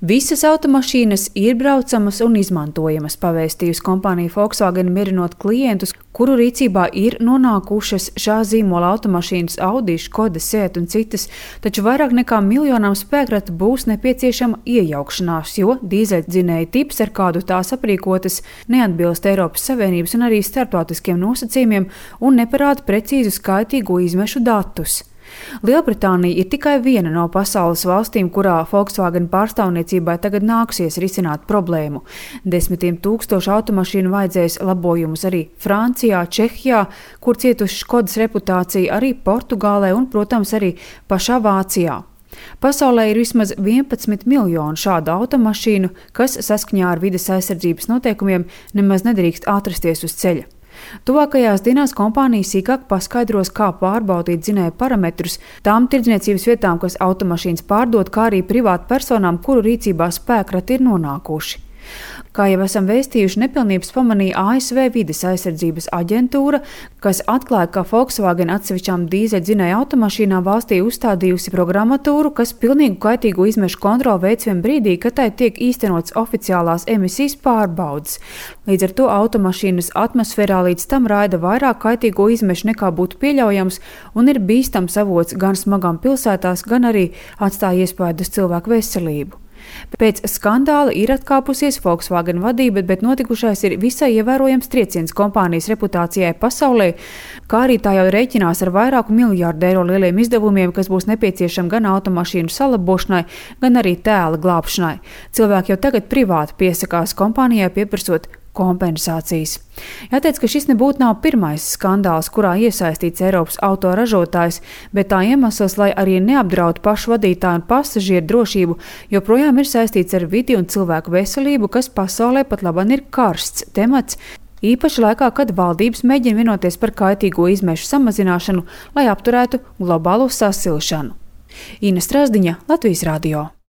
Visas automašīnas ir braucamas un izmantojamas, pavēstījusi kompānija Volkswagen, mierinot klientus, kuru rīcībā ir nonākušas šā zīmola automašīnas Audi, Škoda, Seat un citas, taču vairāk nekā miljonām spēkratu būs nepieciešama iejaukšanās, jo dīzeļdzinēja tips, ar kādu tās aprīkotas, neatbilst Eiropas Savienības un arī starptautiskiem nosacījumiem un neparāda precīzu skaitīgo izmešu datus. Lielbritānija ir tikai viena no pasaules valstīm, kurā Volkswagen pārstāvniecībai tagad nāksies risināt problēmu. Desmitiem tūkstošu automašīnu vajadzēs labojumus arī Francijā, Čehijā, kur cietuši Škodas reputācija, arī Portugālē un, protams, arī pašā Vācijā. Pasaulē ir vismaz 11 miljoni šādu automašīnu, kas saskaņā ar vides aizsardzības noteikumiem nemaz nedrīkst atrasties uz ceļa. Tuvākajās dienās kompānija sīkāk paskaidros, kā pārbaudīt dzinēju parametrus tām tirdzniecības vietām, kas automašīnas pārdod, kā arī privātu personām, kuru rīcībā spēkrati ir nonākuši. Kā jau esam vēstījuši, nepilnības pamanīja ASV vides aizsardzības aģentūra, kas atklāja, ka Volkswagen atsevišķām dīzeļdzinēju automašīnām valstī uzstādījusi programmatūru, kas pilnīgu kaitīgu izmešu kontroli veic vien brīdī, kad tai tiek īstenots oficiālās emisijas pārbaudes. Līdz ar to automašīnas atmosfērā līdz tam raida vairāk kaitīgo izmešu nekā būtu pieļaujams un ir bīstams avots gan smagām pilsētās, gan arī atstāja iespaidu uz cilvēku veselību. Pēc skandāla ir atkāpusies Volkswagen vadība, bet notikušais ir visai ievērojams trieciens kompānijas reputācijai pasaulē, kā arī tā jau rēķinās ar vairāku miljārdu eiro lieliem izdevumiem, kas būs nepieciešami gan automašīnu salabošanai, gan arī tēla glābšanai. Cilvēki jau tagad privāti piesakās kompānijai, pieprasot kompensācijas. Jāteic, ka šis nebūtu nav pirmais skandāls, kurā iesaistīts Eiropas autoražotājs, bet tā iemesls, lai arī neapdraud pašu vadītāju un pasažieru drošību, joprojām ir saistīts ar vidi un cilvēku veselību, kas pasaulē pat labāk ir karsts temats, īpaši laikā, kad valdības mēģina vienoties par kaitīgo izmešu samazināšanu, lai apturētu globālo sasilšanu. Ina Strazdiņa, Latvijas radio.